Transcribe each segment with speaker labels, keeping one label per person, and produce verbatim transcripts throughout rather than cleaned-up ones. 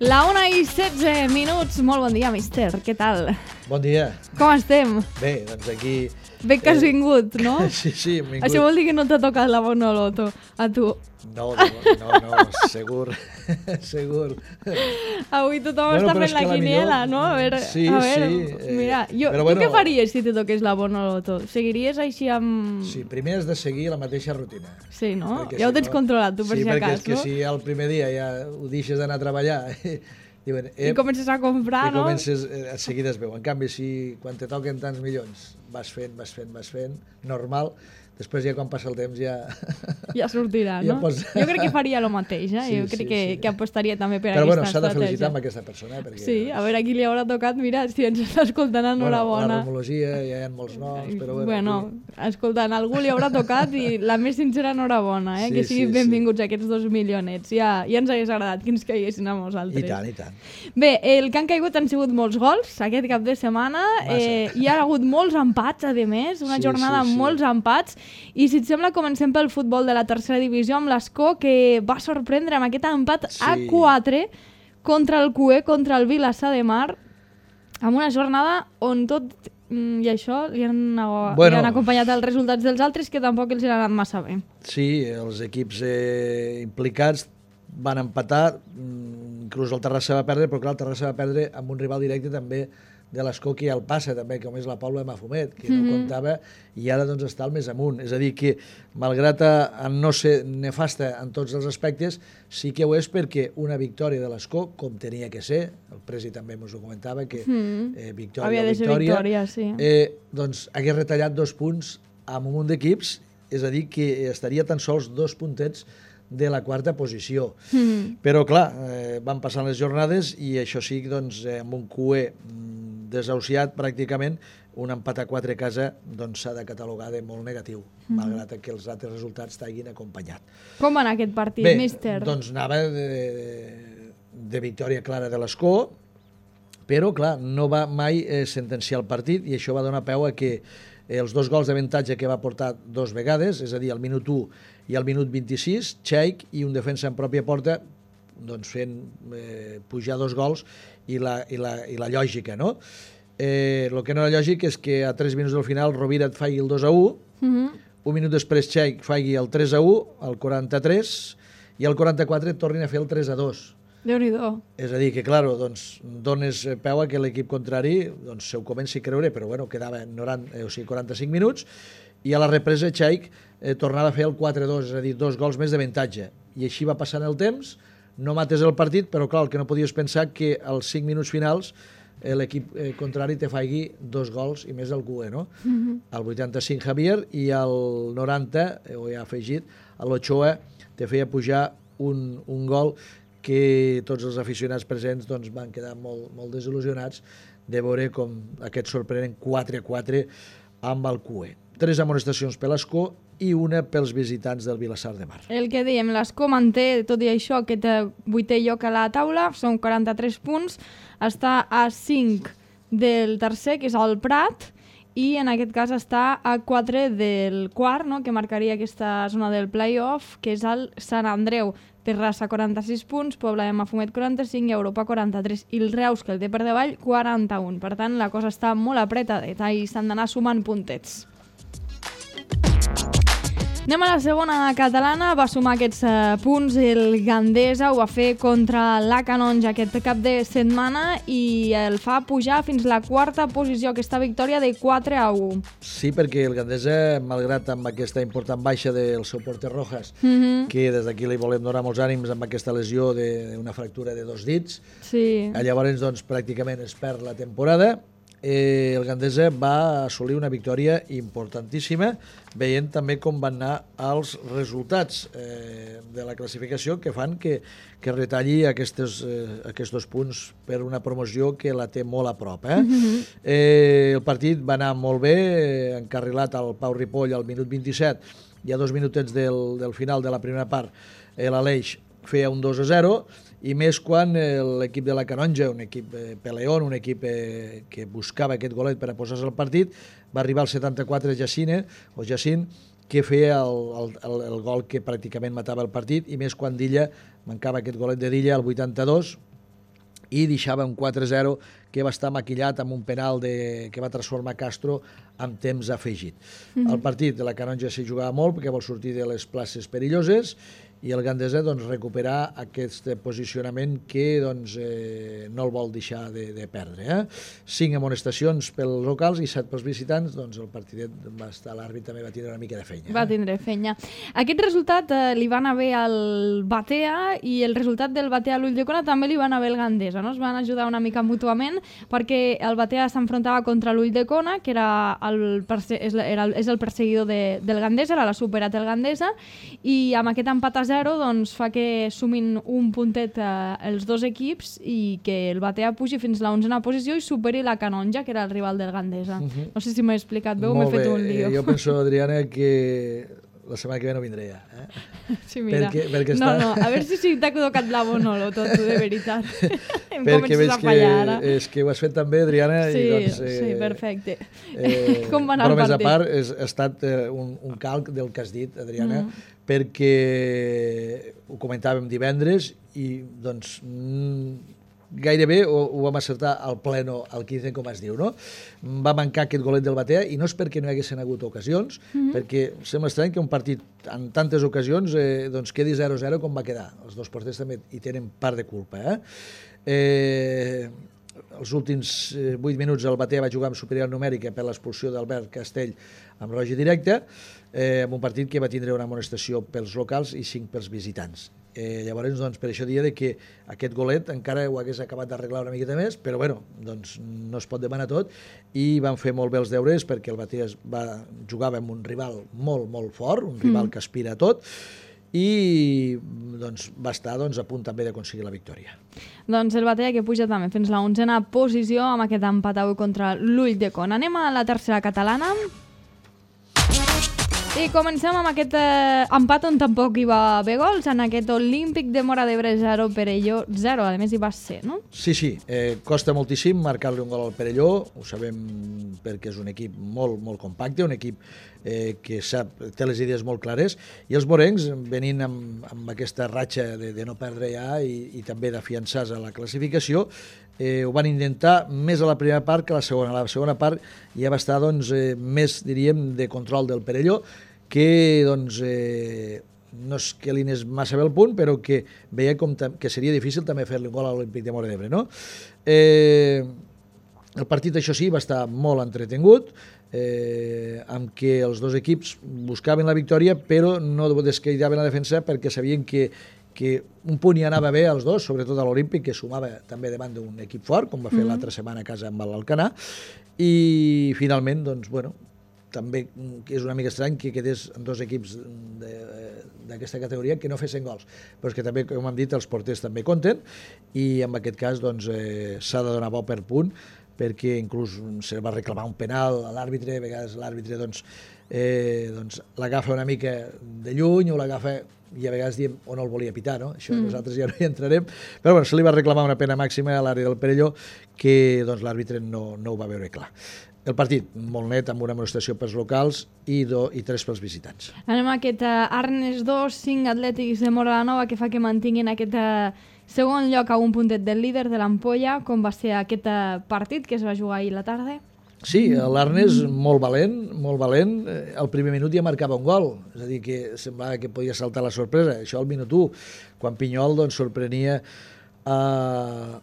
Speaker 1: La una i setze minuts. Molt bon dia, mister. Què tal?
Speaker 2: Bon dia.
Speaker 1: Com estem?
Speaker 2: Bé, doncs aquí...
Speaker 1: Bé que has vingut, no?
Speaker 2: Sí, sí, hem vingut.
Speaker 1: Això vol dir que no t'ha tocat la bona loto, a tu.
Speaker 2: No, no, no, no segur, segur.
Speaker 1: Avui tothom
Speaker 2: Bueno,
Speaker 1: està
Speaker 2: però
Speaker 1: fent
Speaker 2: és
Speaker 1: la
Speaker 2: que la
Speaker 1: quiniela,
Speaker 2: millor-
Speaker 1: no? A veure,
Speaker 2: Sí,
Speaker 1: a veure,
Speaker 2: sí, eh,
Speaker 1: mira, jo,
Speaker 2: però
Speaker 1: tu
Speaker 2: bueno-
Speaker 1: què faries si te toqués la bona loto? Seguiries així amb...
Speaker 2: Sí, primer has de seguir la mateixa rutina.
Speaker 1: Sí, no?
Speaker 2: Perquè
Speaker 1: Ja ho
Speaker 2: si
Speaker 1: tens
Speaker 2: no-
Speaker 1: controlat, tu, per
Speaker 2: sí,
Speaker 1: si
Speaker 2: perquè
Speaker 1: acas,
Speaker 2: és que
Speaker 1: no?
Speaker 2: si el primer dia ja ho deixes d'anar a treballar, diuen,
Speaker 1: I
Speaker 2: ep,
Speaker 1: comences a comprar,
Speaker 2: i
Speaker 1: no?
Speaker 2: comences, eh, a seguida es veu. En canvi, si quan te toquen tants milions vas fent, vas fent, vas fent, normal, després ja quan passa el temps ja...
Speaker 1: Ja sortirà,
Speaker 2: Ja
Speaker 1: no?
Speaker 2: pots-
Speaker 1: Jo crec que faria el mateix, eh?
Speaker 2: Sí,
Speaker 1: jo crec
Speaker 2: sí,
Speaker 1: que,
Speaker 2: sí.
Speaker 1: que apostaria també per
Speaker 2: Però bueno,
Speaker 1: aquesta
Speaker 2: s'ha de
Speaker 1: estratègia.
Speaker 2: felicitar amb aquesta persona, eh? Perquè,
Speaker 1: Sí, a veure a qui li haurà tocat. Mira, si ens està escoltant,
Speaker 2: bueno,
Speaker 1: enhorabona.
Speaker 2: la rumologia, ja hi ha molts noms, però bueno...
Speaker 1: Bueno,
Speaker 2: aquí-
Speaker 1: escoltant, algú li haurà tocat i la més sincera enhorabona, eh?
Speaker 2: Sí,
Speaker 1: que siguin
Speaker 2: sí,
Speaker 1: benvinguts aquests dos milionets. Ja, ja ens hagués agradat que ens caiguessin a nosaltres.
Speaker 2: I tant, i tant.
Speaker 1: Bé, el que han caigut han sigut molts gols aquest cap de setmana. Eh, hi ha hagut molts empats, a més, una
Speaker 2: Sí,
Speaker 1: jornada
Speaker 2: sí,
Speaker 1: amb
Speaker 2: sí.
Speaker 1: molts empats. I si et sembla, comencem pel futbol de la tercera divisió amb l'Escó, que va sorprendre amb aquest empat
Speaker 2: Sí.
Speaker 1: a quatre contra el Q E, contra el Vilassar de Mar, amb una jornada on tot mm, i això li han,
Speaker 2: Bueno.
Speaker 1: li han acompanyat els resultats dels altres que tampoc els han anat massa bé.
Speaker 2: Sí, els equips eh, implicats van empatar, mm, inclús el Terrassa va perdre, però clar, el Terrassa va perdre amb un rival directe també de l'Escó que ja el passa també, com és la Paula de Mafumet, que no comptava i ara doncs està al més amunt. És a dir que, malgrat a no ser nefasta en tots els aspectes, sí que ho és perquè una victòria de l'Escó, com tenia que ser, el Presi també ens ho comentava, que eh, victòria
Speaker 1: Havia de ser
Speaker 2: victòria,
Speaker 1: victòria, sí.
Speaker 2: eh, doncs hagués retallat dos punts amb un munt d'equips, és a dir, que estaria tan sols dos puntets de la quarta posició. Mm. Però, clar, eh, van passant les jornades i això sí, doncs, eh, amb un Q E mm, desahuciat pràcticament, un empat a quatre a casa doncs s'ha de catalogar de molt negatiu, mm. malgrat que els altres resultats t'hagin acompanyat.
Speaker 1: Com va anar aquest partit,
Speaker 2: Bé,
Speaker 1: míster?
Speaker 2: doncs anava de, de, de victòria clara de l'Escó, però, clar, no va mai eh, sentenciar el partit i això va donar peu a que els dos gols d'avantatge que va portar dos vegades, és a dir, al minut u i al minut vint-i-sis, Cheik i un defensa en pròpia porta, doncs fent eh, pujar dos gols i la, i la, i la lògica, no? Eh, el que no era lògic és que a tres minuts del final Rovira et faci el dos a u,
Speaker 1: Mhm.
Speaker 2: un minut després Cheik faci el tres a u, el quaranta-tres, i al quaranta-quatre et tornin a fer el tres a dos.
Speaker 1: Déu-n'hi-do.
Speaker 2: És a dir, que, clar, doncs, dones peu a que l'equip contrari doncs, se ho comenci a creure, però bueno, quedava noranta, eh, o sigui, quaranta-cinc minuts, i a la represa Cheik eh, tornava a fer el quatre a dos, és a dir, dos gols més d'avantatge. I així va passant el temps, no mates el partit, però clar, el que no podies pensar que als cinc minuts finals eh, l'equip eh, contrari te faci dos gols i més el Q E, no? Mm-hmm. Al vuitanta-cinc Javier i al noranta, eh, ho he afegit, a l'Ochoa te feia pujar un, un gol que tots els aficionats presents doncs, van quedar molt, molt desil·lusionats de veure com aquest sorprenent quatre a quatre amb el Q E. Tres amonestacions per l'Escó i una pels visitants del Vilassar de Mar.
Speaker 1: El que dèiem, l'Escó manté, tot i això, aquest vuitè lloc a la taula, són quaranta-tres punts, està a cinc del tercer, que és el Prat, i en aquest cas està a quatre del quart, no?, que marcaria aquesta zona del play-off, que és el Sant Andreu. Terrassa, quaranta-sis punts, Pobla de Mafumet, quaranta-cinc, i Europa, quaranta-tres. I el Reus, que el té per davall, quaranta-un. Per tant, la cosa està molt apretadeta i s'han d'anar sumant puntets. Anem a la segona catalana, va sumar aquests uh, punts el Gandesa, ho va fer contra la Canonja aquest cap de setmana i el fa pujar fins la quarta posició, aquesta victòria de quatre a u.
Speaker 2: Sí, perquè el Gandesa, malgrat amb aquesta important baixa del seu porter Rojas,
Speaker 1: Mm-hmm.
Speaker 2: que des d'aquí li volem donar molts ànims amb aquesta lesió d'una fractura de dos dits,
Speaker 1: Sí.
Speaker 2: llavors doncs, pràcticament es perd la temporada. Eh, el Gandesa va assolir una victòria importantíssima, veient també com van anar els resultats eh, de la classificació que fan que, que retalli aquestes, eh, aquests dos punts per una promoció que la té molt a prop. Eh? Mm-hmm. eh, el partit va anar molt bé, eh, encarrilat al Pau Ripoll al minut vint-i-set i a dos minutets del, del final de la primera part eh, l'Aleix feia un dos a zero, i més quan eh, l'equip de la Canonja, un equip eh, peleón, un equip eh, que buscava aquest golet per a posar-se al partit, va arribar al setanta-quatre Jacine, o Jacint, que feia el, el, el, el gol que pràcticament matava el partit, i més quan Dilla, mancava aquest golet de Dilla al vuitanta-dos, i deixava un quatre zero que va estar maquillat amb un penal de, que va transformar Castro amb temps afegit. Mm-hmm. El partit de la Canonja s'hi jugava molt perquè vol sortir de les places perilloses i el Gandesa doncs, recuperar aquest posicionament que doncs, eh, no el vol deixar de, de perdre. Eh? Cinc amonestacions pels locals i set pels visitants, doncs el partidet va estar, l'àrbit també va tindre una mica de fenya. Eh?
Speaker 1: Va tindre fenya. Aquest resultat eh, li va anar bé al Batea i el resultat del Batea a l'Ulldecona també li va anar bé al Gandesa. No? Es van ajudar una mica mútuament perquè el Batea s'enfrontava contra l'Ulldecona, que era el, perse és, era el, és el perseguidor de, del Gandesa, ara l'ha superat el Gandesa, i amb aquest empat a zero doncs, fa que sumin un puntet eh, els dos equips i que el Batea pugi fins a l'onzena posició i superi la Canonja, que era el rival del Gandesa. Uh-huh. No sé si m'he explicat bé o m'he fet un lío.
Speaker 2: Eh, jo penso, Adriana, que la setmana que ve no vindré ja. Eh?
Speaker 1: Sí, mira.
Speaker 2: Perquè, perquè
Speaker 1: no,
Speaker 2: està...
Speaker 1: no, a veure si, si t'ha tocat la bonolo tot, de veritat. Em
Speaker 2: perquè veig
Speaker 1: a fallar, ara.
Speaker 2: que, és que ho has fet també, Adriana.
Speaker 1: Sí,
Speaker 2: i doncs, eh,
Speaker 1: sí, perfecte.
Speaker 2: Eh,
Speaker 1: Com va anar el partit?
Speaker 2: Però més a part, és, ha estat eh, un, un calc del que has dit, Adriana, mm. perquè ho comentàvem divendres i doncs mm, gairebé ho, ho vam acertar al pleno, al quinze, com es diu, no? Va mancar aquest golet del Batea i no és perquè no hi haguessin hagut ocasions, mm-hmm. perquè sembla estrany que un partit en tantes ocasions eh, doncs quedi zero zero com va quedar. Els dos porters també hi tenen part de culpa. Eh? Eh, els últims eh, vuit minuts el Batea va jugar amb superior numèrica per l'expulsió d'Albert Castell amb roja directa, eh, en un partit que va tindre una amonestació pels locals i cinc pels visitants. Eh, llavors, doncs, per això dia de que aquest golet encara ho hagués acabat d'arreglar una miqueta més, però bueno, doncs no es pot demanar tot i van fer molt bé els deures perquè el Batea va, jugava amb un rival molt, molt fort, un rival mm. que aspira a tot i doncs, va estar doncs, a punt també d'aconseguir la victòria.
Speaker 1: Doncs el Batea que puja també fins a l'onzena posició amb aquest empat avui contra l'Ulldecona. Anem a la tercera catalana. I comencem amb aquest eh, empat on tampoc hi va haver gols, en aquest Olímpic de Móra d'Ebre zero, Perelló zero, a més hi va ser, no?
Speaker 2: Sí, sí, eh, costa moltíssim marcar-li un gol al Perelló, ho sabem perquè és un equip molt, molt compacte, un equip eh, que sap, té les idees molt clares, i els morencs, venint amb, amb aquesta ratxa de, de no perdre ja i, i també d'afiançar-se a la classificació, Eh, ho van intentar més a la primera part que a la segona. A la segona part ja va estar doncs, eh, més, diríem, de control del Perelló, que doncs, eh, no és que li anés massa bé el punt, però que veia com que seria difícil també fer-li un gol a l'Olímpic de Móra d'Ebre. No? Eh, el partit, això sí, va estar molt entretingut, eh, amb què els dos equips buscaven la victòria, però no descuidaven la defensa perquè sabien que que un punt hi anava bé als dos, sobretot a l'Olímpic, que sumava també davant d'un equip fort, com va fer mm-hmm. l'altra setmana a casa amb l'Alcanar, i finalment, doncs, bueno, també és una mica estrany que quedés en dos equips d'aquesta categoria que no fessin gols, però és que també, com hem dit, els porters també compten, i en aquest cas doncs, eh, s'ha de donar bo per punt, perquè inclús se va reclamar un penal a l'àrbitre, a vegades l'àrbitre doncs, eh, doncs, l'agafa una mica de lluny o l'agafa i a vegades diem o no el volia pitar, no? Això mm. nosaltres ja no hi entrarem, però bueno, se li va reclamar una pena màxima a l'àrea del Perelló que doncs, l'àrbitre no, no ho va veure clar. El partit, molt net, amb una amonestació pels locals i, do, i tres pels visitants.
Speaker 1: Anem a aquest uh, Arnes dos, cinc Atlètics de Móra la Nova, que fa que mantinguin aquest uh, segon lloc a un puntet del líder de l'Ampolla, com va ser aquest uh, partit que es va jugar ahir la tarda.
Speaker 2: Sí, l'Arnes molt valent, molt valent. Al primer minut ja marcava un gol, és a dir, que semblava que podia saltar la sorpresa. Això al minut u, quan Pinyol doncs, sorprenia eh,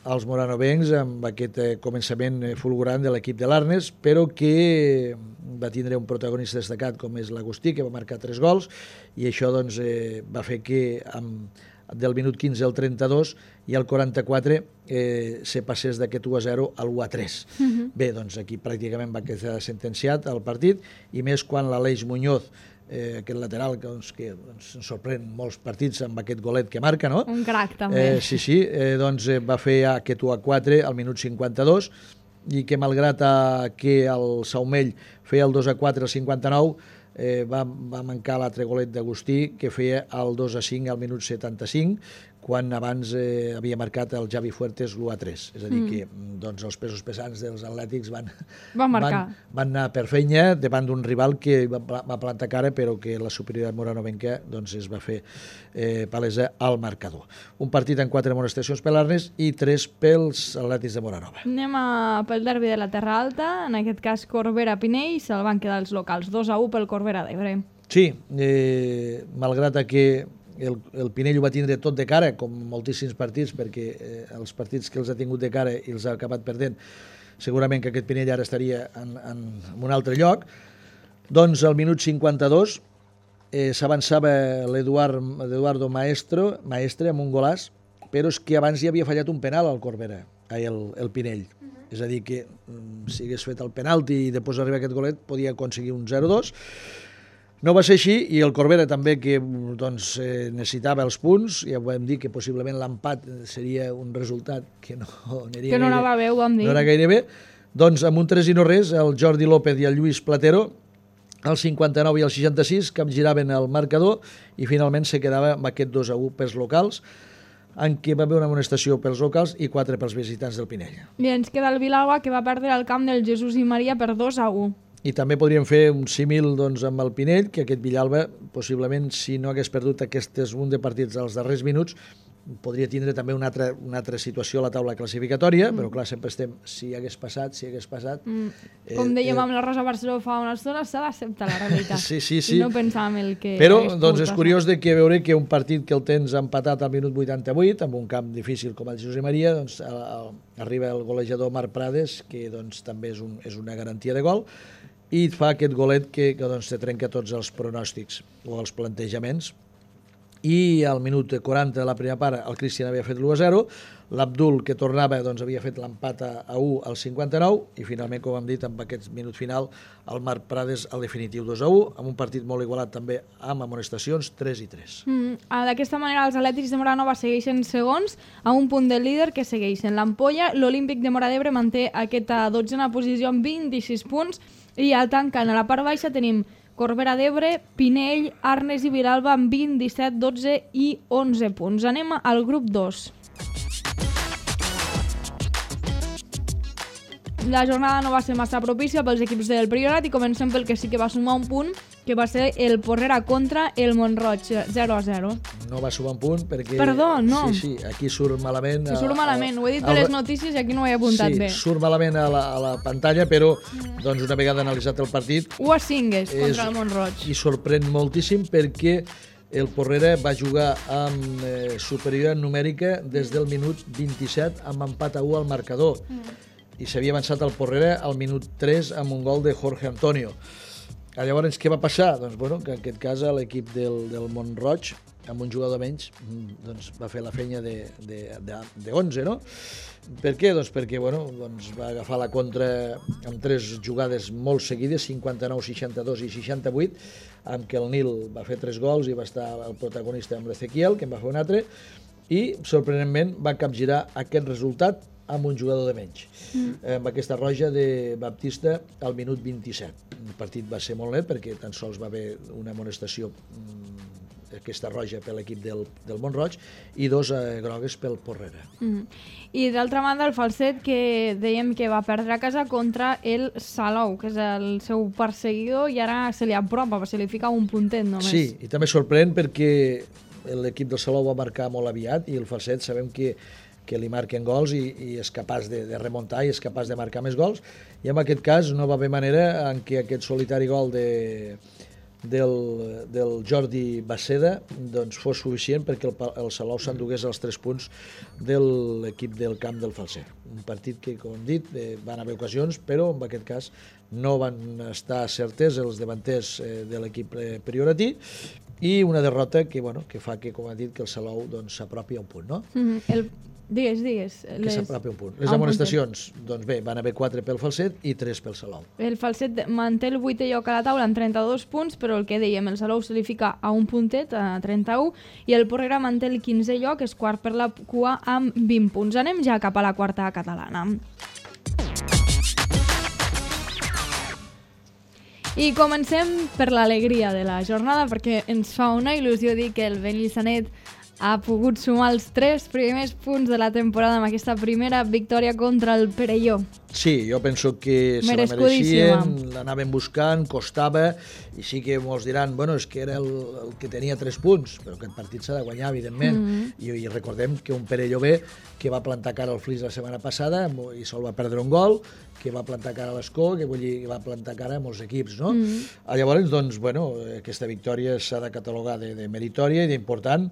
Speaker 2: als moranovencs amb aquest eh, començament fulgurant de l'equip de l'Arnes, però que va tindre un protagonista destacat com és l'Agustí, que va marcar tres gols, i això doncs, eh, va fer que amb del minut quinze al trenta-dos i al quaranta-quatre eh, se passés d'aquest u a zero al u a tres. Uh-huh. Bé, doncs aquí pràcticament va quedar sentenciat el partit, i més quan l'Aleix Muñoz, eh, aquest lateral doncs, que doncs, ens sorprèn molts partits amb aquest golet que marca, no?
Speaker 1: Un crac, també.
Speaker 2: Eh, sí, sí, eh, doncs eh, va fer aquest u a quatre al minut cinquanta-dos, i que malgrat a, que el Saumell feia el dos a quatre al cinquanta-nou, eh, va, va mancar l'altre golet d'Agustí, que feia el dos a cinc al minut setanta-cinc, quan abans eh, havia marcat el Javi Fuertes l'u a tres. És a dir, mm. que doncs, els pesos pesants dels atlètics van,
Speaker 1: van, marcar.
Speaker 2: van, van anar per feina davant d'un rival que va, va plantar cara, però que la superioritat moranovenca doncs, es va fer eh, palesa al marcador. Un partit amb quatre amonestacions per l'Arnes i tres pels atlètics de Moranova.
Speaker 1: Anem a, pel derbi de la Terra Alta, en aquest cas Corbera-Pinell, se'l van quedar els locals, dos a u pel Corbera d'Ebre.
Speaker 2: Sí, eh, malgrat que El, el Pinell ho va tindre tot de cara, com moltíssims partits, perquè eh, els partits que els ha tingut de cara i els ha acabat perdent, segurament que aquest Pinell ara estaria en, en, en un altre lloc. Doncs al minut cinquanta-dos eh, s'avançava l'Eduardo Maestro, Maestre amb un golàs, però és que abans hi havia fallat un penal al Corbera, ai, el, el Pinell. Uh-huh. És a dir, que si hagués fet el penalti i després arriba aquest golet, podia aconseguir un zero dos. No va ser així, i el Corbera també, que doncs, eh, necessitava els punts, ja vam dir que possiblement l'empat seria un resultat que no aniria
Speaker 1: que no anava bé, ho vam dir.
Speaker 2: No era gaire bé. Doncs amb un tres i no res, el Jordi López i el Lluís Platero, al cinquanta-nou i al seixanta-sis, capgiraven el marcador i finalment se quedava amb aquest dos a u pels locals, en què va haver una amonestació pels locals i quatre pels visitants del Pinell.
Speaker 1: I ens queda el Vilagua, que va perdre el camp del Jesús i Maria per dos a u.
Speaker 2: I també podríem fer un símil doncs, amb el Pinell, que aquest Villalba, possiblement, si no hagués perdut aquests un de partits als darrers minuts, podria tindre també una altra, una altra situació a la taula classificatòria, mm. però clar, sempre estem, si hagués passat, si hagués passat... Mm.
Speaker 1: Com
Speaker 2: eh,
Speaker 1: dèiem
Speaker 2: eh,
Speaker 1: amb la Rosa Barceló fa una estona, s'ha d'acceptar la realitat.
Speaker 2: sí, sí, sí.
Speaker 1: I no pensar en el que...
Speaker 2: Però doncs, és curiós de que veure que un partit que el tens empatat al minut vuitanta-vuit, amb un camp difícil com el José Maria, doncs, a, a, arriba el golejador Marc Prades, que doncs, també és, un, és una garantia de gol, i fa aquest golet que, que doncs, te trenca tots els pronòstics o els plantejaments. I al minut quaranta de la primera part el Cristian havia fet l'u a zero, l'Abdul, que tornava, doncs, havia fet l'empat a u al cinquanta-nou, i finalment, com hem dit, amb aquest minut final, el Marc Prades al definitiu dos a u, amb un partit molt igualat també amb amonestacions tres i tres.
Speaker 1: Mm, D'aquesta manera els atlètics de Moranova segueixen segons, a un punt del líder que segueixen l'Ampolla. L'Olímpic de Móra d'Ebre manté aquesta dotzena posició amb vint-i-sis punts, i al tancant a la part baixa tenim Corbera d'Ebre, Pinell, Arnes i Vilalba amb vint, disset, dotze i onze punts. Anem al grup dos. La jornada no va ser massa propícia pels equips del Priorat i comencem pel que sí que va sumar un punt, que va ser el Porrera contra el Montroig, zero a zero.
Speaker 2: No va sumar un punt perquè...
Speaker 1: Perdó, no.
Speaker 2: Sí, sí, aquí surt malament...
Speaker 1: Sí, surt malament, ho he dit per les notícies i aquí no ho he apuntat
Speaker 2: sí,
Speaker 1: bé.
Speaker 2: Sí, surt malament a la, a la pantalla, però doncs, una vegada analitzat el partit...
Speaker 1: u a cinc és contra el Montroig.
Speaker 2: I sorprèn moltíssim perquè el Porrera va jugar amb eh, superioritat numèrica des del minut vint-i-set amb empat a u al marcador. Mm. I s'havia avançat el Porrera al minut tres amb un gol de Jorge Antonio. Llavors, què va passar? Doncs, bueno, que en aquest cas l'equip del, del Montroig, amb un jugador menys, doncs, va fer la feina de, de, de, de onze, no? Per què? Doncs perquè bueno, doncs va agafar la contra amb tres jugades molt seguides, cinquanta-nou, seixanta-dos i seixanta-vuit, amb què el Nil va fer tres gols i va estar el protagonista amb l'Ezequiel, que en va fer un altre, i, sorprenentment, va capgirar aquest resultat amb un jugador de menys, mm. amb aquesta roja de Baptista al minut vint-i-set. El partit va ser molt net perquè tan sols va haver una amonestació, aquesta roja per l'equip del, del Montroig, i dos eh, grogues pel Porrera.
Speaker 1: Mm. I d'altra banda el Falset, que dèiem que va perdre a casa contra el Salou, que és el seu perseguidor, i ara se li apropa, se li fica un puntet només.
Speaker 2: Sí, i també sorprèn perquè l'equip del Salou va marcar molt aviat i el Falset sabem que que li marquen gols i, i és capaç de, de remuntar i és capaç de marcar més gols, i en aquest cas no va haver manera en què aquest solitari gol de, del, del Jordi Baceda doncs, fos suficient perquè el, el Salou s'endugués els tres punts de l'equip del camp del Falset. Un partit que, com hem dit, eh, van haver ocasions, però en aquest cas no van estar certes els davanters eh, de l'equip eh, prioratí, i una derrota que, bueno, que fa que, com ha dit, que el Salou doncs, s'apropi a un punt, no?
Speaker 1: Mm-hmm. el... Digues, digues.
Speaker 2: Que les... s'apropi un punt. Les amonestacions, doncs bé, van haver quatre pel Falset i tres pel Salou.
Speaker 1: El Falset manté el vuitè lloc a la taula amb trenta-dos punts, però el que dèiem, el Salou se li fica a un puntet, a trenta-u, i el Porrera manté el quinzè lloc, és quart per la cua amb vint punts. Anem ja cap a la quarta catalana. I comencem per l'alegria de la jornada, perquè ens fa una il·lusió dir que el Benissanet ha pogut sumar els tres primers punts de la temporada amb aquesta primera victòria contra el Perelló.
Speaker 2: Sí, jo penso que se la mereixien, l'anaven buscant, costava, i sí que molts diran, bueno, és que era el, el que tenia tres punts, però aquest partit s'ha de guanyar, evidentment, mm-hmm. I, i recordem que un Perelló B que va plantar cara al Flix la setmana passada i sol va perdre un gol, que va plantar cara a l'Escó, que vull dir, va plantar cara a molts equips, no? Mm-hmm. Llavors, doncs, bueno, aquesta victòria s'ha de catalogar de, de meritòria i d'important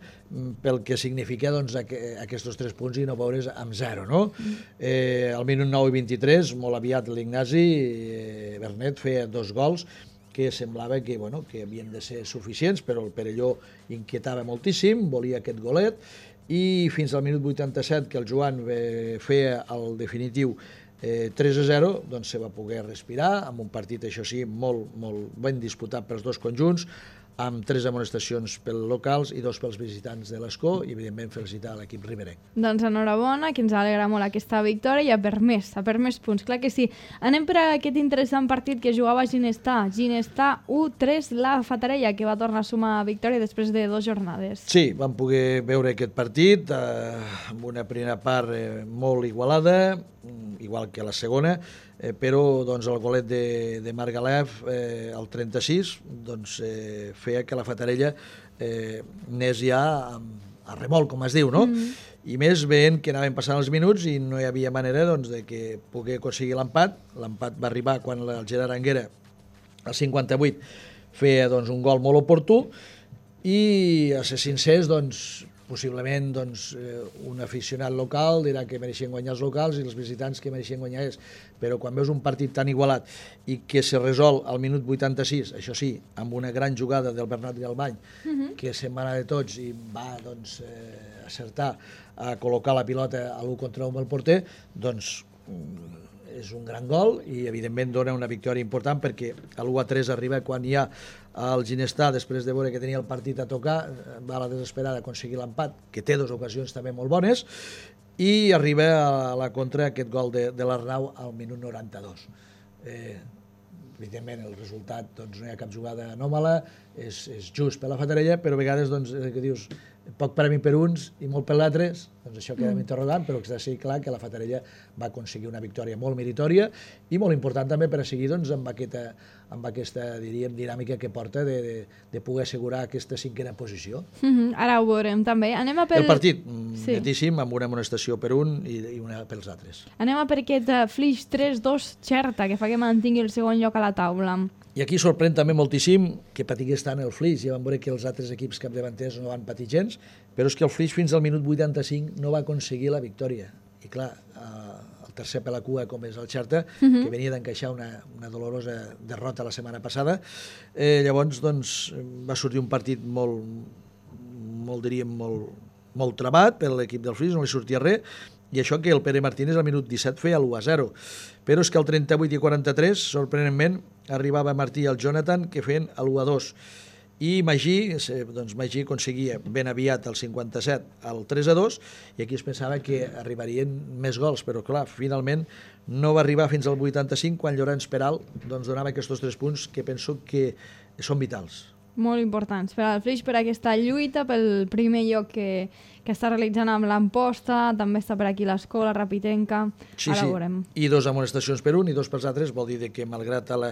Speaker 2: pel que significa, doncs, aquests tres punts i no veure's amb zero, no? Mm-hmm. Eh, al minut nou i vint-i-tres, molt aviat l'Ignasi eh, Bernet feia dos gols que semblava que, bueno, que havien de ser suficients, però el Perelló inquietava moltíssim, volia aquest golet, i fins al minut vuitanta-set, que el Joan eh, feia el definitiu eh, tres a zero, doncs se va poder respirar, amb un partit, això sí, molt, molt ben disputat pels dos conjunts, amb tres amonestacions pels locals i dos pels visitants de l'Escó, i evidentment felicitar l'equip riberenc.
Speaker 1: Doncs enhorabona, que ens alegra molt aquesta victòria i a per més, a per més punts, clar que sí. Anem per a aquest interessant partit que jugava Ginestar. Ginestar u tres, la Fatarella, que va tornar a sumar victòria després de dues jornades.
Speaker 2: Sí, vam poder veure aquest partit eh, amb una primera part eh, molt igualada, igual que la segona, eh, però doncs, el golet de, de Margalef eh, al trenta-sis doncs, eh, feia que la Fatarella eh, anés ja a, a remolc, com es diu, no? Mm. I més veient que anaven passant els minuts i no hi havia manera doncs, de que pogués aconseguir l'empat. L'empat va arribar quan el Gerard Anguera, al cinquanta-vuit, feia doncs, un gol molt oportú, i a ser sincers, doncs, possiblement doncs, un aficionat local dirà que mereixien guanyar els locals i els visitants que mereixien guanyar ells, però quan veus un partit tan igualat i que se resol al minut vuitanta-sis, això sí, amb una gran jugada del Bernat Galbany, uh-huh. que se'n va anar de tots i va doncs, eh, acertar a col·locar la pilota a l'u contra un amb el porter, doncs és un gran gol i evidentment dona una victòria important, perquè l'u a tres arriba quan hi ha el Ginestar, després de veure que tenia el partit a tocar, va a la desesperada a aconseguir l'empat, que té dues ocasions també molt bones, i arriba a la contra aquest gol de, de l'Arnau al minut noranta-dos. Eh, evidentment el resultat, doncs, no hi ha cap jugada anòmala, és, és just per la Fatarella, però a vegades doncs, que dius, poc per a mi per uns i molt per l'altres, doncs això queda mm. interrogant, però que està clar que la Fatarella va aconseguir una victòria molt meritòria i molt important també per a seguir doncs, amb, aquesta, amb aquesta diríem, dinàmica que porta de, de, de poder assegurar aquesta cinquena posició.
Speaker 1: Mm-hmm. Ara ho veurem també. Anem a pel...
Speaker 2: El partit, sí. netíssim, amb una amonestació per un i, i una pels altres.
Speaker 1: Anem a per aquest uh, Flix tres dos Xerta, que fa que mantingui el segon lloc a la taula.
Speaker 2: I aquí sorprèn també moltíssim que patigués tant el Flix. Ja vam veure que els altres equips capdavanters no van patir gens, però és que el Flix fins al minut vuitanta-cinc no va aconseguir la victòria. I clar, eh, el tercer per la cua, com és el Xerta, uh-huh. que venia d'encaixar una, una dolorosa derrota la setmana passada, eh, llavors doncs, va sortir un partit molt, molt diríem, molt, molt trabat per l'equip del Flix, no li sortia res, i això que el Pere Martínez al minut disset feia l'u a zero. Però és que al trenta-vuit i quaranta-tres, sorprenentment, arribava Martí i el Jonathan, que feien l'u a dos. I Magí, doncs Magí aconseguia ben aviat el cinquanta-set al tres a dos, i aquí es pensava que arribarien més gols, però clar, finalment no va arribar fins al vuitanta-cinc, quan Llorenç Peral doncs, donava aquests tres punts que penso que són vitals.
Speaker 1: Molt importants per al Flix, per aquesta lluita pel primer lloc que, que està realitzant amb l'Amposta, també està per aquí l'Escola, Rapitenca,
Speaker 2: sí,
Speaker 1: ara
Speaker 2: sí.
Speaker 1: ho veurem.
Speaker 2: I dos amonestacions per un i dos pels altres, vol dir que malgrat la,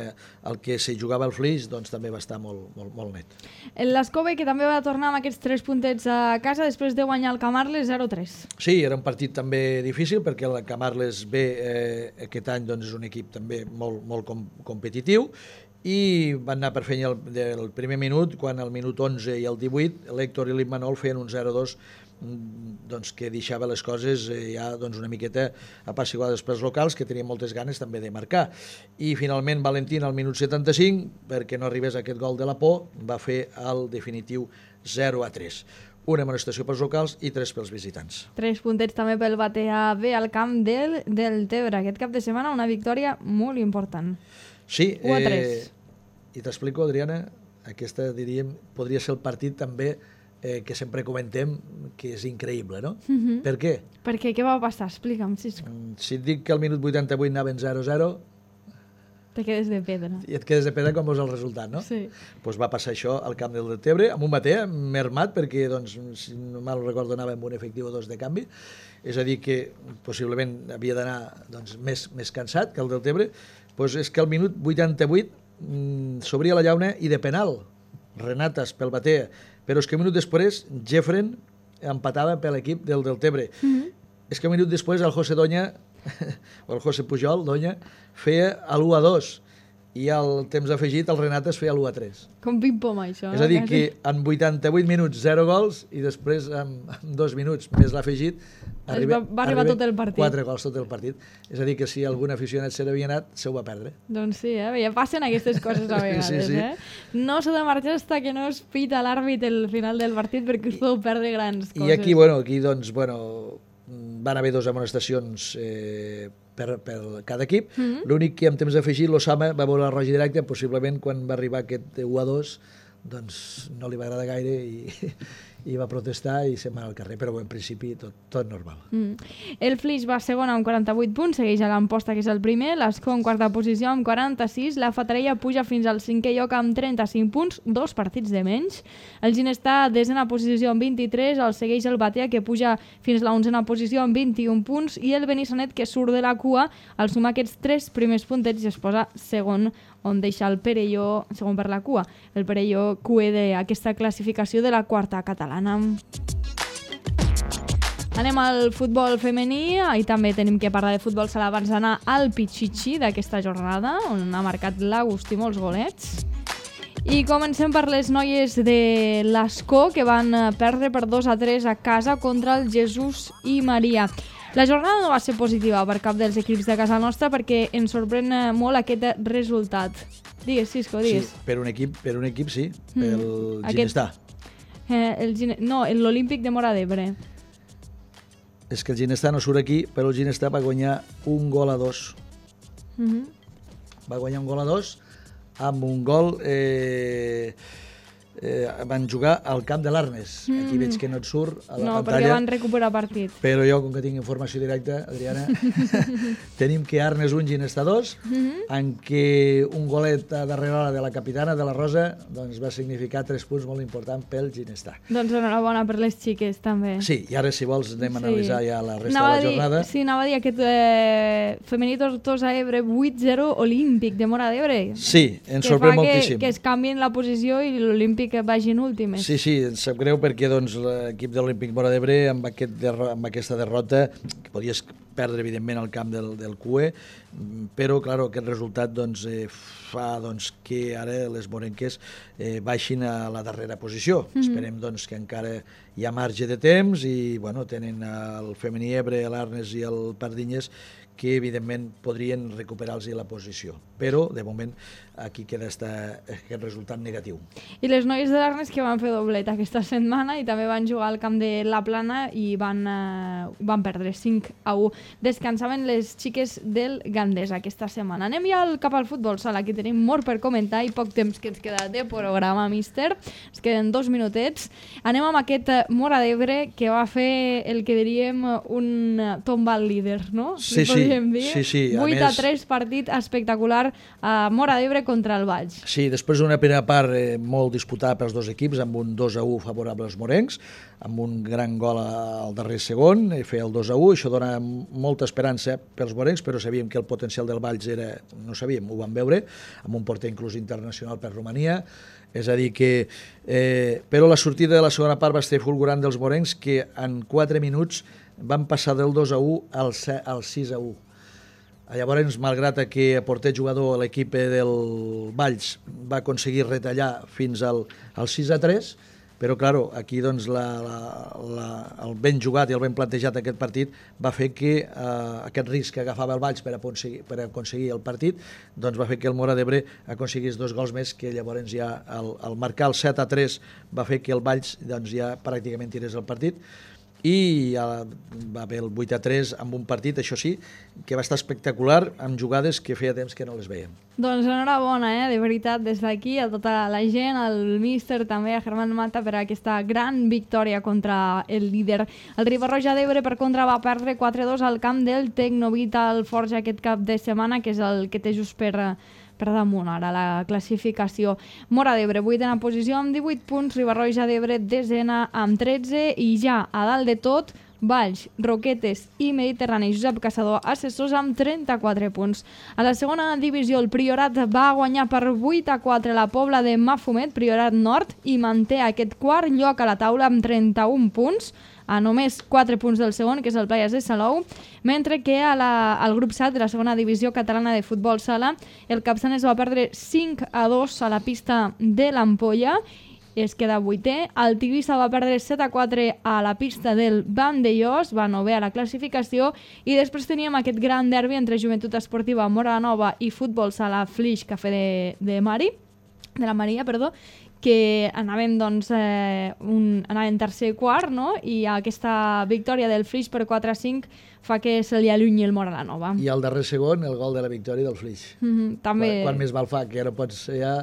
Speaker 2: el que se jugava el Flix, doncs també va estar molt, molt, molt net.
Speaker 1: L'Escove, que també va tornar amb aquests tres puntets a casa després de guanyar el Camarles zero a tres.
Speaker 2: Sí, era un partit també difícil, perquè el Camarles B eh, aquest any doncs, és un equip també molt, molt com, competitiu, i van anar per feina el, del primer minut, quan al minut onze i el divuit l'Héctor i l'Immanol feien un zero a dos, doncs, que deixava les coses eh, ja doncs, una miqueta apaciguades pels locals, que tenien moltes ganes també de marcar. I finalment Valentín al minut setanta-cinc, perquè no arribés aquest gol de la por, va fer el definitiu zero a tres. Una amonestació pels locals i tres pels visitants.
Speaker 1: Tres puntets també pel Batea B al camp del, del Tebre. Aquest cap de setmana una victòria molt important.
Speaker 2: Sí,
Speaker 1: u a tres.
Speaker 2: Eh, i t'explico, Adriana, aquesta, diríem, podria ser el partit també eh, que sempre comentem que és increïble, no? Uh-huh. Per què?
Speaker 1: Per què? Què va passar? Explica'm, sisplau.
Speaker 2: Si et dic que al minut vuitanta-vuit anaven zero a zero,
Speaker 1: Te quedes de pedra.
Speaker 2: I et quedes de pedra com veus el resultat, no?
Speaker 1: Sí.
Speaker 2: Pues va passar això al camp del Deltebre, amb un matè mermat, perquè, doncs, si no mal recordo, anava amb un efectiu o dos de canvi, és a dir, que possiblement havia d'anar doncs, més, més cansat que el Deltebre, pues és que al minut vuitanta-vuit mmm, s'obria la llauna i de penal, Renatas pel Batea, però és que un minut després Jeffren empatava per l'equip del Deltebre. Mm-hmm. És que un minut després el José Doña, o el José Pujol, Doña, feia l'u a dos i al temps afegit el Renatas feia l'u a tres.
Speaker 1: Com ping-pong, això.
Speaker 2: És a dir, que en vuitanta-vuit minuts, zero gols, i després en, en dos minuts més l'afegit,
Speaker 1: va, va arribar tot el partit.
Speaker 2: Quatre gols tot el partit. És a dir, que si algun aficionat se n'havia anat, se ho va perdre.
Speaker 1: Doncs sí, eh? Ja passen aquestes coses a vegades. Sí, sí. Eh? No s'ha de marxar fins que no es pita l'àrbit el final del partit perquè us podeu perdre grans coses.
Speaker 2: I aquí, bueno, aquí doncs, bueno, van haver dues amonestacions eh, per, per cada equip. Mm-hmm. L'únic que en temps afegit l'Osama va veure la roja directa, possiblement quan va arribar aquest u a dos doncs no li va agradar gaire i, i va protestar i se'n va anar al carrer, però en principi tot, tot normal. Mm.
Speaker 1: El Flix va segon amb quaranta-vuit punts, segueix a l'Amposta, que és el primer, l'Escó en quarta posició amb quaranta-sis, la Fatarella puja fins al cinquè lloc amb trenta-cinc punts, dos partits de menys. El Ginestar desena posició amb vint-i-tres, el segueix el Batea, que puja fins a l'onzena posició amb vint-i-un punts, i el Benissanet, que surt de la cua, al sumar aquests tres primers puntets i es posa segon, on deixa el Perelló, segon per la cua, el Perelló cue d'aquesta classificació de la quarta catalana. Anem al futbol femení, i també tenim que parlar de futbol sala abans d'anar al Pichichi d'aquesta jornada, on ha marcat l'Agustí molts golets. I comencem per les noies de l'Escó, que van perdre per dos a tres a casa contra el Jesús i Maria. La jornada no va ser positiva per cap dels equips de casa nostra perquè ens sorprèn molt aquest resultat. Digues, Cisco, digues.
Speaker 2: Sí, per un equip, per un equip sí, mm. pel aquest, Ginestar.
Speaker 1: Eh, el Gine... No, l'Olímpic de Móra d'Ebre.
Speaker 2: És que el Ginestar no surt aquí, però el Ginestar va guanyar un gol a dos. Mm-hmm. Va guanyar un gol a dos amb un gol... Eh... Eh, van jugar al camp de l'Arnes. Mm. Aquí veig que no et surt a la
Speaker 1: no,
Speaker 2: pantalla.
Speaker 1: No, perquè van recuperar partit.
Speaker 2: Però jo, com que tinc informació directa, Adriana, tenim que Arnes un, Ginestar dos, mm-hmm. en què un golet a darrere hora de la capitana, de la Rosa, doncs va significar tres punts molt importants pel Ginestar.
Speaker 1: Doncs enhorabona per les xiques, també.
Speaker 2: Sí, i ara, si vols, anem a analitzar sí. ja la resta
Speaker 1: anava
Speaker 2: de la jornada.
Speaker 1: Dir, sí, anava a dir aquest eh, femení Tortosa Ebre vuit zero Olímpic de Móra d'Ebre.
Speaker 2: Sí, ens sorprèn moltíssim.
Speaker 1: Que, que es canvien la posició i l'Olímpic que vagin últimes.
Speaker 2: Sí, sí, em sap greu perquè doncs, l'equip de l'Olímpic Móra d'Ebre amb, aquest derro amb aquesta derrota, que podies perdre evidentment al camp del, del C U E, però clar, aquest resultat doncs, eh, fa doncs, que ara les morenques eh, baixin a la darrera posició. Mm-hmm. Esperem doncs, que encara hi ha marge de temps i bueno, tenen el femení Ebre, l'Arnes i el Pardinyes que evidentment podrien recuperar-los la posició. Però, de moment, aquí queda esta, aquest resultat negatiu.
Speaker 1: I les noies de l'Arnes que van fer doblet aquesta setmana i també van jugar al camp de la Plana i van, eh, van perdre cinc a u. Descansaven les xiques del Gandés aquesta setmana. Anem ja al, cap al futbol sala, que tenim molt per comentar i poc temps que ens queda de programa, míster. Ens queden dos minutets. Anem amb aquest Móra d'Ebre que va fer el que diríem un tombal líder, no?
Speaker 2: Sí, sí. Sí, sí.
Speaker 1: vuit a tres partit espectacular a Móra d'Ebre contra el Valls.
Speaker 2: Sí, després d'una primera part eh, molt disputada pels dos equips, amb un dos a u favorable als morencs, amb un gran gol al darrer segon, eh, fer el dos a u, això dona molta esperança pels morencs, però sabíem que el potencial del Valls era, no sabíem, ho vam veure, amb un porter inclús internacional per Romania, és a dir que... Eh, però la sortida de la segona part va ser fulgurant dels morencs, que en quatre minuts van passar del dos a u al sis a u. Llavors, malgrat que a porter jugador l'equip del Valls va aconseguir retallar fins al, al sis a tres, però, clar, aquí doncs, la, la, la, el ben jugat i el ben plantejat aquest partit va fer que eh, aquest risc que agafava el Valls per aconseguir, per aconseguir el partit doncs va fer que el Móra d'Ebre aconseguís dos gols més, que llavors ja el, el marcar el set a tres va fer que el Valls doncs, ja pràcticament tirés el partit. I ja va haver el vuit a tres amb un partit, això sí, que va estar espectacular, amb jugades que feia temps que no les veiem.
Speaker 1: Doncs enhorabona, eh? De veritat, des d'aquí, a tota la gent, al míster també, a Germán Mata, per aquesta gran victòria contra el líder. El Riba-roja d'Ebre, per contra, va perdre quatre a dos al camp del Tecnovital Forja aquest cap de setmana, que és el que té just per... per damunt ara la classificació. Móra d'Ebre, vuitena posició amb divuit punts, Riba-roja d'Ebre, desena amb tretze, i ja a dalt de tot, Valls, Roquetes i Mediterrani Josep Caçador, assessors amb trenta-quatre punts. A la segona divisió, el Priorat va guanyar per vuit a quatre la Pobla de Mafumet, Priorat Nord, i manté aquest quart lloc a la taula amb trenta-un punts, a només quatre punts del segon, que és el Playas de Salou, mentre que a la, al grup set de la segona divisió catalana de futbol sala, el Capçanes va perdre cinc a dos a la pista de l'Ampolla, es queda vuitè. El Tivissa va perdre set a quatre a la pista del Vandellós, va novè a la classificació, i després teníem aquest gran derbi entre Joventut Esportiva Móra la Nova i Futbol Sala Flix Cafè de, de Mari, de la Maria, perdó, que anàvem, doncs, eh, un, anàvem tercer i quart, no? I aquesta victòria del Flix per quatre a cinc fa que se li allunyi el Móra la Nova.
Speaker 2: I al darrer segon, el gol de la victòria del Flix.
Speaker 1: Mm-hmm, també...
Speaker 2: Quan, quan més val fa, que ara pots ja,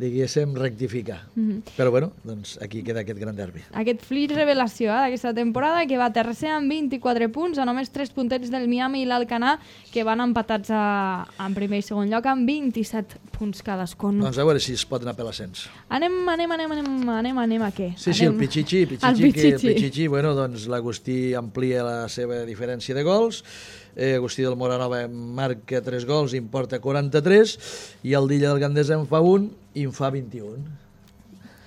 Speaker 2: diguéssim, rectificar. Mm-hmm. Però bueno, doncs aquí queda aquest gran derbi.
Speaker 1: Aquest Flix revelació eh, d'aquesta temporada, que va tercer amb vint-i-quatre punts, a només tres puntets del Miami i l'Alcanar, que van empatats a, en primer i segon lloc amb vint-i-set punts cadascun.
Speaker 2: Doncs a veure si es pot anar per l'ascens.
Speaker 1: Anem, anem, anem, anem, anem, anem a què?
Speaker 2: Sí, sí,
Speaker 1: anem...
Speaker 2: el Pichichi, Pichichi,
Speaker 1: el Pichichi.
Speaker 2: Que, el Pichichi, bueno, doncs l'Agustí amplia la seva diferència de gols, eh, Agustí del Moranova marca tres gols i en porta quaranta-tres, i el Dilla del Gandesa en fa un i en fa vint-i-un.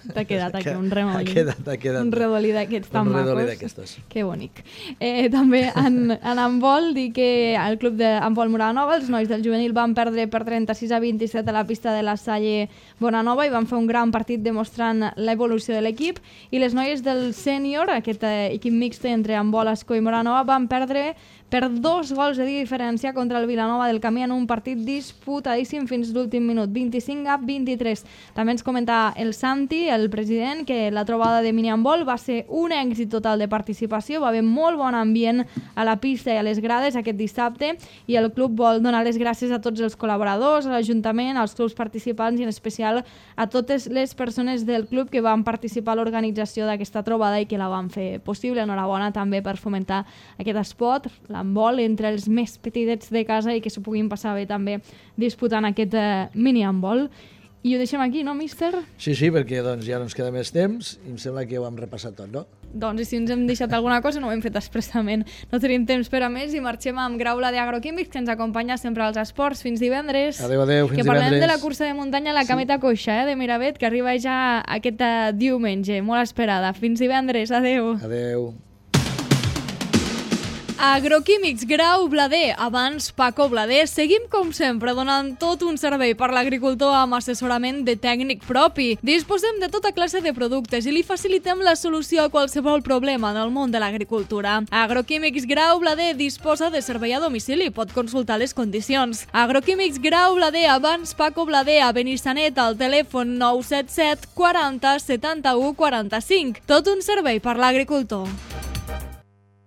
Speaker 1: T'ha quedat aquí un remoll.
Speaker 2: Ha quedat, ha quedat.
Speaker 1: Un redolí d'aquests tan
Speaker 2: un redolí
Speaker 1: macos.
Speaker 2: d'aquestes.
Speaker 1: Que bonic. Eh, també en, en handbol, dir que el club d'handbol Moranova, els nois del juvenil van perdre per trenta-sis a vint-i-set a la pista de la Salle Bonanova i van fer un gran partit demostrant l'evolució de l'equip, i les noies del sènior, aquest eh, equip mixte entre handbol, Escó i Moranova, van perdre per dos gols de diferència contra el Vilanova del Camí en un partit disputadíssim fins l'últim minut, vint-i-cinc a vint-i-tres. També ens comentava el Santi, el president, que la trobada de mini-handbol va ser un èxit total de participació, va haver molt bon ambient a la pista i a les grades aquest dissabte, i el club vol donar les gràcies a tots els col·laboradors, a l'Ajuntament, als clubs participants i en especial a totes les persones del club que van participar a l'organització d'aquesta trobada i que la van fer possible. Enhorabona també per fomentar aquest esport, l'handbol, entre els més petitets de casa i que s'ho puguin passar bé també disputant aquest eh, mini-handbol. I ho deixem aquí, no, míster?
Speaker 2: Sí, sí, perquè doncs, ja no ens queda més temps i em sembla que ho hem repassat tot, no?
Speaker 1: Doncs i si ens hem deixat alguna cosa no ho hem fet expressament. No tenim temps per a més i marxem amb Graula d'Agroquímics, que ens acompanya sempre als esports. Fins divendres.
Speaker 2: Adéu, adéu, fins
Speaker 1: que parlem
Speaker 2: divendres.
Speaker 1: de la cursa de muntanya a la Cameta sí. Coixa, eh, de Miravet, que arriba ja aquest uh, diumenge, molt esperada. Fins divendres, adéu.
Speaker 2: Adéu.
Speaker 1: Agroquímics Grau Blader, abans Paco Blader. Seguim com sempre donant tot un servei per l'agricultor amb assessorament de tècnic propi. Disposem de tota classe de productes i li facilitem la solució a qualsevol problema en el món de l'agricultura. Agroquímics Grau Blader disposa de servei a domicili, pot consultar les condicions. Agroquímics Grau Blader, abans Paco Blader, a Benissanet, al telèfon nou set set quaranta setanta-u quaranta-cinc. Tot un servei per l'agricultor.